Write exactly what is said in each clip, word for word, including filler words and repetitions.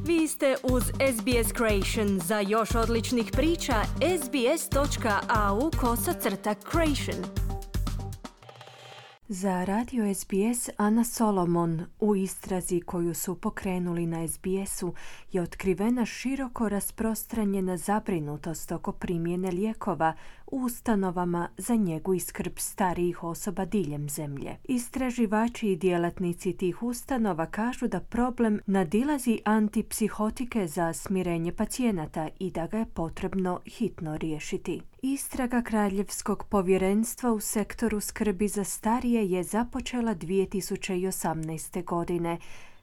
Vi ste uz S B S Creation. Za još odličnih priča, sbs.au kosacrta creation. Za radio S B S Ana Solomon u istrazi koju su pokrenuli na S B S-u je otkrivena široko rasprostranjena zabrinutost oko primjene lijekova u ustanovama za njegu i skrb starijih osoba diljem zemlje. Istraživači i djelatnici tih ustanova kažu da problem nadilazi antipsihotike za smirenje pacijenata i da ga je potrebno hitno riješiti. Istraga Kraljevskog povjerenstva u sektoru skrbi za starije je započela dvije tisuće osamnaeste. godine.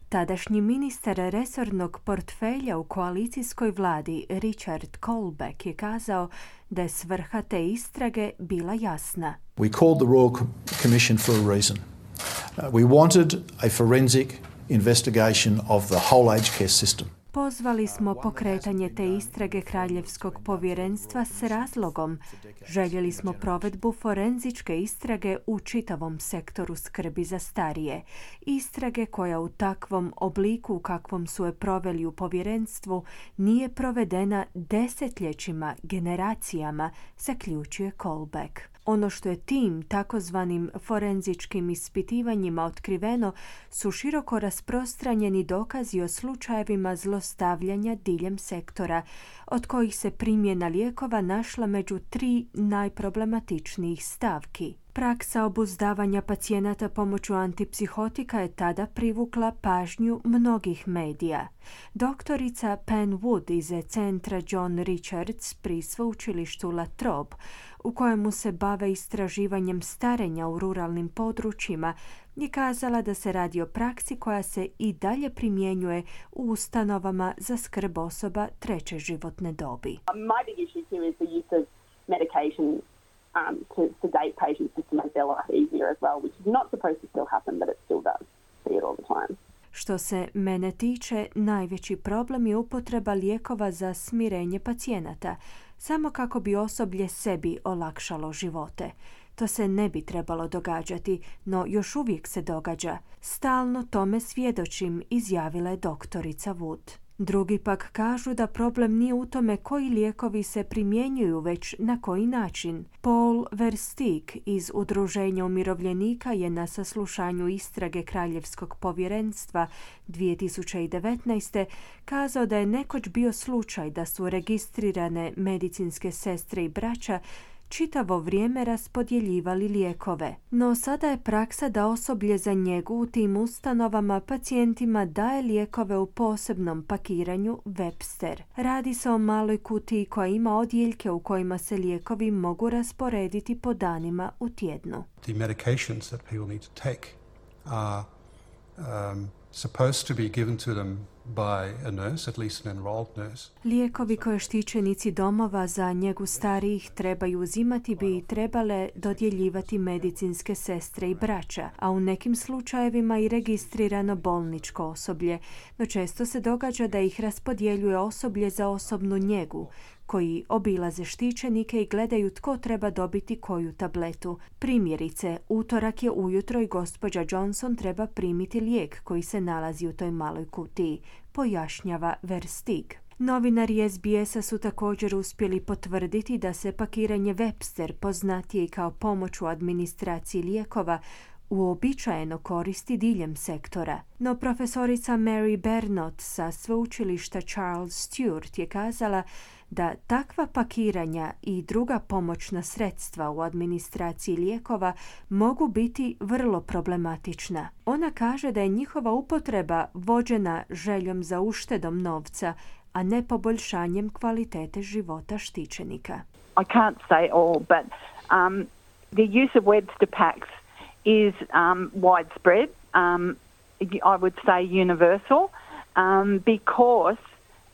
Tadašnji ministar resornog portfelja u koalicijskoj vladi Richard Colbeck je kazao da je svrha te istrage bila jasna. We called the Royal Commission for a reason. Uh, we wanted a forensic investigation of the whole aged care system. Pozvali smo pokretanje te istrage Kraljevskog povjerenstva s razlogom. Željeli smo provedbu forenzičke istrage u čitavom sektoru skrbi za starije. Istrage koja u takvom obliku u kakvom su je proveli u povjerenstvu nije provedena desetljećima, generacijama, zaključuje Colbeck. Ono što je tim takozvanim forenzičkim ispitivanjima otkriveno su široko rasprostranjeni dokazi o slučajevima zlostavljanja diljem sektora, od kojih se primjena lijekova našla među tri najproblematičnijih stavki. Praksa obuzdavanja pacijenata pomoću antipsihotika je tada privukla pažnju mnogih medija. Doktorica Pen Wood iz centra John Richards pri sveučilištu La Trobe, u kojemu se bave istraživanjem starenja u ruralnim područjima, je kazala da se radi o praksi koja se i dalje primjenjuje u ustanovama za skrb osoba treće životne dobi. My big issue here is the use of medication Um, to sedate patients just to make their life easier as well, which is not supposed to still happen, but it still does. See it all the time. Što se mene tiče, najveći problem je upotreba lijekova za smirenje pacijenata, samo kako bi osoblje sebi olakšalo živote. To se ne bi trebalo događati, no još uvijek se događa. Stalno tome svjedočim, izjavila je doktorica Wood. Drugi pak kažu da problem nije u tome koji lijekovi se primjenjuju, već na koji način. Paul Versteeg iz Udruženja umirovljenika je na saslušanju istrage Kraljevskog povjerenstva dvije tisuće devetnaeste. kazao da je nekoć bio slučaj da su registrirane medicinske sestre i braća čitavo vrijeme raspodjeljivali lijekove. No sada je praksa da osoblje za njegu u tim ustanovama pacijentima daje lijekove u posebnom pakiranju Webster. Radi se o maloj kutiji koja ima odjeljke u kojima se lijekovi mogu rasporediti po danima u tjednu. The medications that people need to take are um, supposed to be given to them by a nurse, at least an enrolled nurse. Lijekovi koje štićenici domova za njegu starijih trebaju uzimati bi trebale dodjeljivati medicinske sestre i braća, a u nekim slučajevima i registrirano bolničko osoblje, no često se događa da ih raspodjeljuje osoblje za osobnu njegu, koji obilaze štićenike i gledaju tko treba dobiti koju tabletu. Primjerice, utorak je ujutro i gospođa Johnson treba primiti lijek koji se nalazi u toj maloj kutiji, pojašnjava Versteeg. Novinari S B S-a su također uspjeli potvrditi da se pakiranje Webster, poznatije kao pomoć u administraciji lijekova, uobičajeno koristi diljem sektora. No profesorica Mary Bernot sa sveučilišta Charles Sturt je kazala da takva pakiranja i druga pomoćna sredstva u administraciji lijekova mogu biti vrlo problematična. Ona kaže da je njihova upotreba vođena željom za uštedom novca, a ne poboljšanjem kvalitete života štićenika. I can't say all, but um, the use of Webster packs is um, widespread. Um, I would say universal, um, because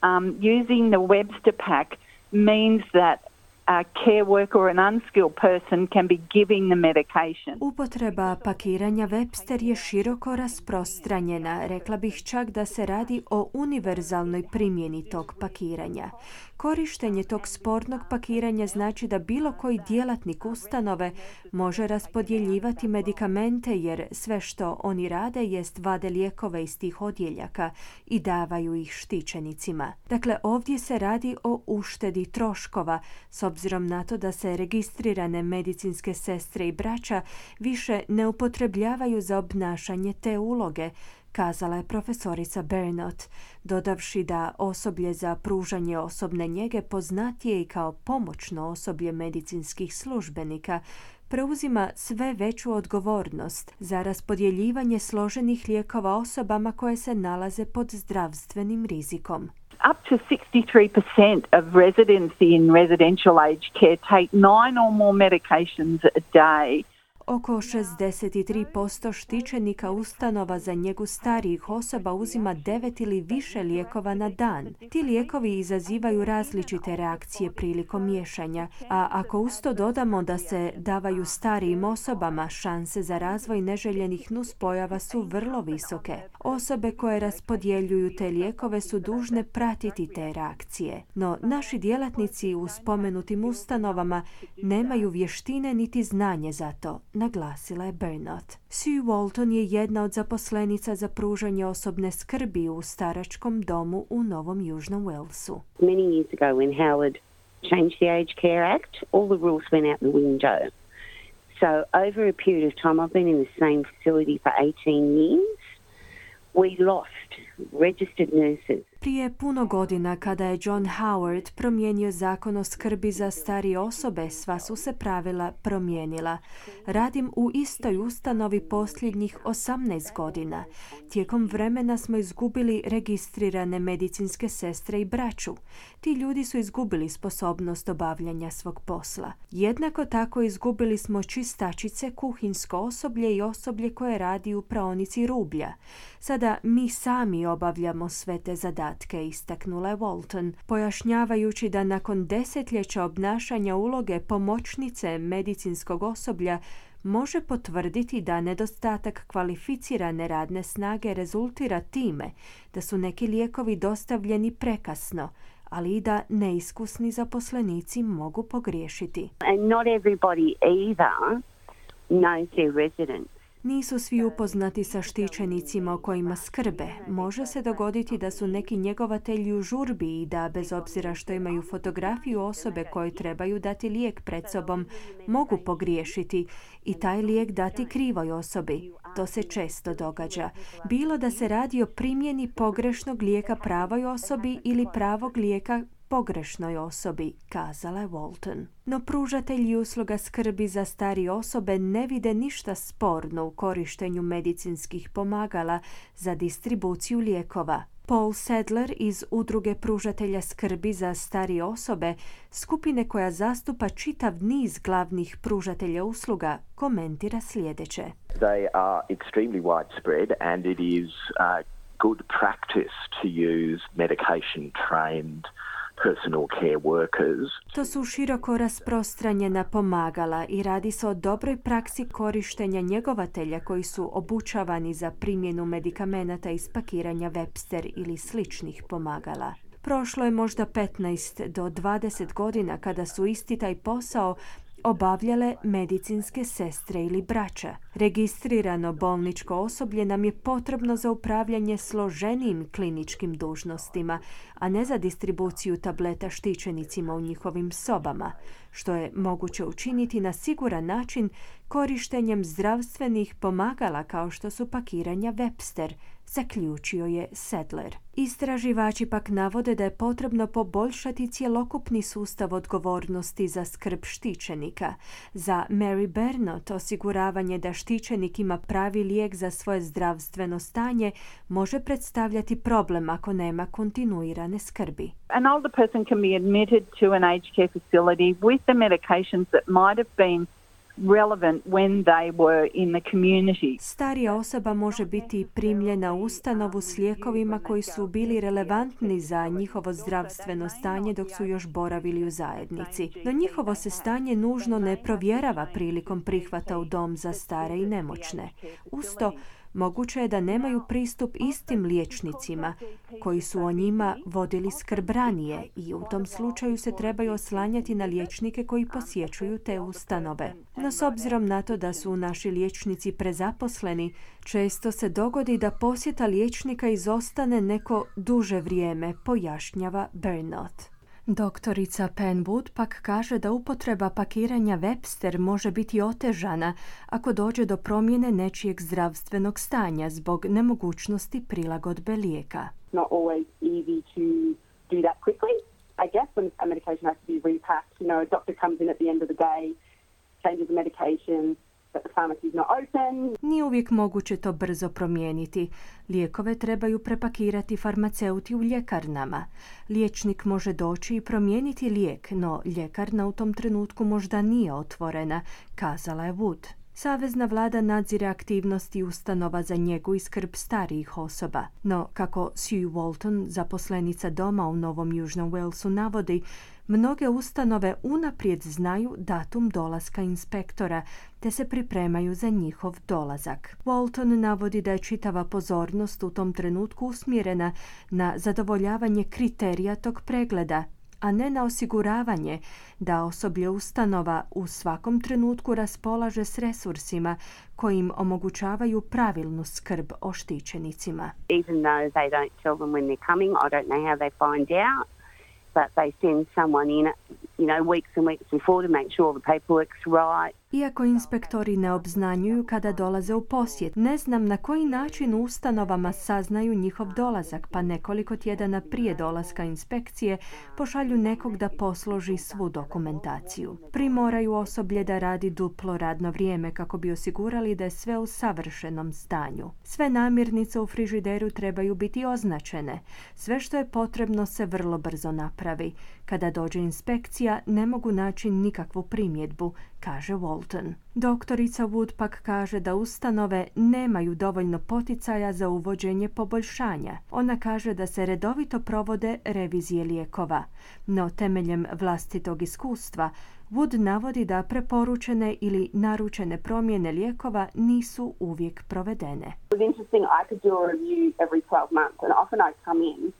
um, using the Webster pack means that a care worker or an unskilled person can be giving the medication. Upotreba pakiranja Webster je široko rasprostranjena. Rekla bih čak da se radi o univerzalnoj primjeni tog pakiranja. Korištenje tog spornog pakiranja znači da bilo koji djelatnik ustanove može raspodjeljivati medikamente jer sve što oni rade jest vade lijekove iz tih odjeljaka i davaju ih štićenicima. Dakle, ovdje se radi o uštedi troškova s obzirom na to da se registrirane medicinske sestre i braća više ne upotrebljavaju za obnašanje te uloge, kazala je profesorica Bernot, dodavši da osoblje za pružanje osobne njege, poznatije i kao pomoćno osoblje medicinskih službenika, preuzima sve veću odgovornost za raspodjeljivanje složenih lijekova osobama koje se nalaze pod zdravstvenim rizikom. Up to sixty-three percent of residents in residential aged care take nine or more medications a day. Oko šezdeset tri posto štićenika ustanova za njegu starijih osoba uzima devet ili više lijekova na dan. Ti lijekovi izazivaju različite reakcije prilikom miješanja, a ako uz to dodamo da se davaju starijim osobama, šanse za razvoj neželjenih nuspojava su vrlo visoke. Osobe koje raspodjeljuju te lijekove su dužne pratiti te reakcije. No, naši djelatnici u spomenutim ustanovama nemaju vještine niti znanje za to, naglasila je Bernot. Sue Walton je jedna od zaposlenica za pružanje osobne skrbi u staračkom domu u Novom Južnom Walesu. Many years ago when Howard changed the Aged Care Act, all the rules went out the window. So over a period of time, I've been in the same facility for eighteen years. We lost registered nurses. Prije puno godina, kada je John Howard promijenio zakon o skrbi za starije osobe, sva su se pravila promijenila. Radim u istoj ustanovi posljednjih osamnaest godina. Tijekom vremena smo izgubili registrirane medicinske sestre i braću. Ti ljudi su izgubili sposobnost obavljanja svog posla. Jednako tako izgubili smo čistačice, kuhinjsko osoblje i osoblje koje radi u praonici rublja. Sada mi sami obavljamo sve te zadatke, istaknula je Walton, pojašnjavajući da nakon desetljeća obnašanja uloge pomoćnice medicinskog osoblja može potvrditi da nedostatak kvalificirane radne snage rezultira time da su neki lijekovi dostavljeni prekasno, ali i da neiskusni zaposlenici mogu pogriješiti. And not everybody either knows their residents. Nisu svi upoznati sa štićenicima o kojima skrbe. Može se dogoditi da su neki njegovatelji u žurbi i da, bez obzira što imaju fotografiju osobe kojoj trebaju dati lijek pred sobom, mogu pogriješiti i taj lijek dati krivoj osobi. To se često događa. Bilo da se radi o primjeni pogrešnog lijeka pravoj osobi ili pravog lijeka pogrešnoj osobi, kazala je Walton. No pružatelji usluga skrbi za starije osobe ne vide ništa sporno u korištenju medicinskih pomagala za distribuciju lijekova. Paul Sadler iz Udruge pružatelja skrbi za starije osobe, skupine koja zastupa čitav niz glavnih pružatelja usluga, komentira sljedeće. They are extremely widespread and it is uh, good practice to use medication trained personal care workers. To su široko rasprostranjena pomagala i radi se o dobroj praksi korištenja njegovatelja koji su obučavani za primjenu medikamenata iz pakiranja Webster ili sličnih pomagala. Prošlo je možda petnaest do dvadeset godina kada su isti taj posao obavljale medicinske sestre ili braća. Registrirano bolničko osoblje nam je potrebno za upravljanje složenijim kliničkim dužnostima, a ne za distribuciju tableta štićenicima u njihovim sobama, što je moguće učiniti na siguran način korištenjem zdravstvenih pomagala kao što su pakiranja Webster, zaključio je Sadler. Istraživači pak navode da je potrebno poboljšati cjelokupni sustav odgovornosti za skrb štićenika. Za Mary Bernot osiguravanje da štićenik ima pravi lijek za svoje zdravstveno stanje može predstavljati problem ako nema kontinuirane skrbi. An older person can be admitted to an aged care facility with the medications that might have been relevant when they were in the community. Starija osoba može biti primljena u ustanovu s lijekovima koji su bili relevantni za njihovo zdravstveno stanje dok su još boravili u zajednici. No njihovo se stanje nužno ne provjerava prilikom prihvata u dom za stare i nemoćne. Usto, moguće je da nemaju pristup istim liječnicima koji su o njima vodili skrb ranije i u tom slučaju se trebaju oslanjati na liječnike koji posjećuju te ustanove. No s obzirom na to da su naši liječnici prezaposleni, često se dogodi da posjeta liječnika izostane neko duže vrijeme, pojašnjava Bernot. Doktorica Penwood pak kaže da upotreba pakiranja Webster može biti otežana ako dođe do promjene nečijeg zdravstvenog stanja zbog nemogućnosti prilagodbe lijeka. Not always easy to do that quickly. I guess when a medication has to be repacked, you know, a doctor comes in at the end of the day, changes the medication, but the pharmacy is not open. Nije uvijek moguće to brzo promijeniti. Lijekove trebaju prepakirati farmaceuti u ljekarnama. Liječnik može doći i promijeniti lijek, no ljekarna u tom trenutku možda nije otvorena, kazala je Wood. Savezna vlada nadzire aktivnosti ustanova za njegu i skrb starijih osoba. No, kako Sue Walton, zaposlenica doma u Novom Južnom Walesu, navodi, mnoge ustanove unaprijed znaju datum dolaska inspektora, te se pripremaju za njihov dolazak. Walton navodi da je čitava pozornost u tom trenutku usmjerena na zadovoljavanje kriterija tog pregleda, a ne na osiguravanje da osoblje ustanova u svakom trenutku raspolaže s resursima koji im omogućavaju pravilnu skrb o štićenicima. Even though they don't tell them when they're coming, I don't know how they find out, but they send someone in, you know, weeks and weeks before to make sure the paperwork's right. Iako inspektori ne obznanjuju kada dolaze u posjet, ne znam na koji način u ustanovama saznaju njihov dolazak, pa nekoliko tjedana prije dolaska inspekcije pošalju nekog da posloži svu dokumentaciju. Primoraju osoblje da radi duplo radno vrijeme kako bi osigurali da je sve u savršenom stanju. Sve namirnice u frižideru trebaju biti označene. Sve što je potrebno se vrlo brzo napravi. Kada dođe inspekcija, ne mogu naći nikakvu primjedbu, kaže Walton. Doktorica Wood pak kaže da ustanove nemaju dovoljno poticaja za uvođenje poboljšanja. Ona kaže da se redovito provode revizije lijekova, no temeljem vlastitog iskustva Wood navodi da preporučene ili naručene promjene lijekova nisu uvijek provedene. It was interesting, I could do a review every twelve months and often I'd come in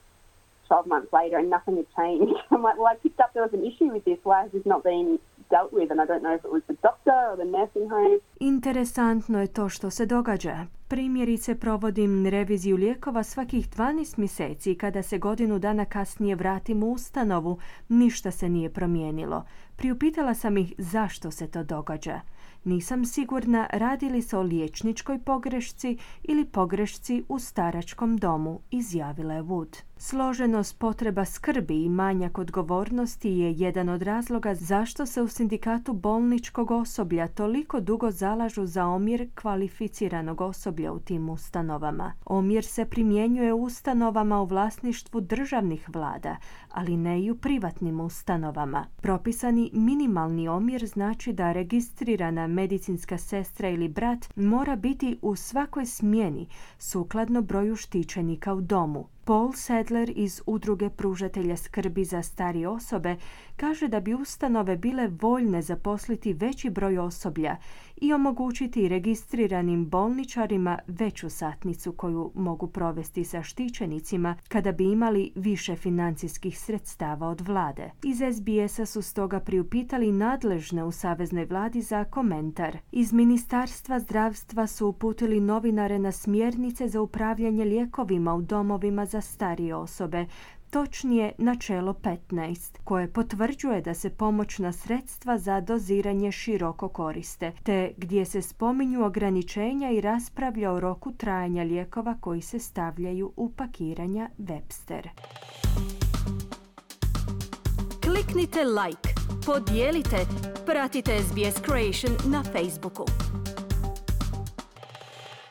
twelve months later and nothing had changed. I'm like, well, I picked up there was an issue with this. Why has this not been dealt with? And I don't know if it was the doctor or the nursing home. Interesantno je to što se događa. Primjerice, provodim reviziju lijekova svakih dvanaest mjeseci i kada se godinu dana kasnije vratim u ustanovu, ništa se nije promijenilo. Priupitala sam ih zašto se to događa. Nisam sigurna radi li se o liječničkoj pogrešci ili pogrešci u staračkom domu, izjavila je Wood. Složenost potreba skrbi i manjak odgovornosti je jedan od razloga zašto se u sindikatu bolničkog osoblja toliko dugo zalažu za omjer kvalificiranog osoblja u tim ustanovama. Omjer se primjenjuje u ustanovama u vlasništvu državnih vlada, ali ne i u privatnim ustanovama. Propisani minimalni omjer znači da registrirana medicinska sestra ili brat mora biti u svakoj smjeni sukladno broju štićenika u domu. Paul Sadler iz Udruge pružatelja skrbi za starije osobe kaže da bi ustanove bile voljne zaposliti veći broj osoblja i omogućiti registriranim bolničarima veću satnicu koju mogu provesti sa štićenicima kada bi imali više financijskih sredstava od vlade. Iz S B S-a su stoga priupitali nadležne u Saveznoj vladi za komentar. Iz Ministarstva zdravstva su uputili novinare na smjernice za upravljanje lijekovima u domovima za starije osobe, točnije načelo petnaest, koje potvrđuje da se pomoćna sredstva za doziranje široko koriste, te gdje se spominju ograničenja i raspravlja o roku trajanja lijekova koji se stavljaju u pakiranja Webster. Kliknite like, podijelite, pratite S B S Creation na Facebooku.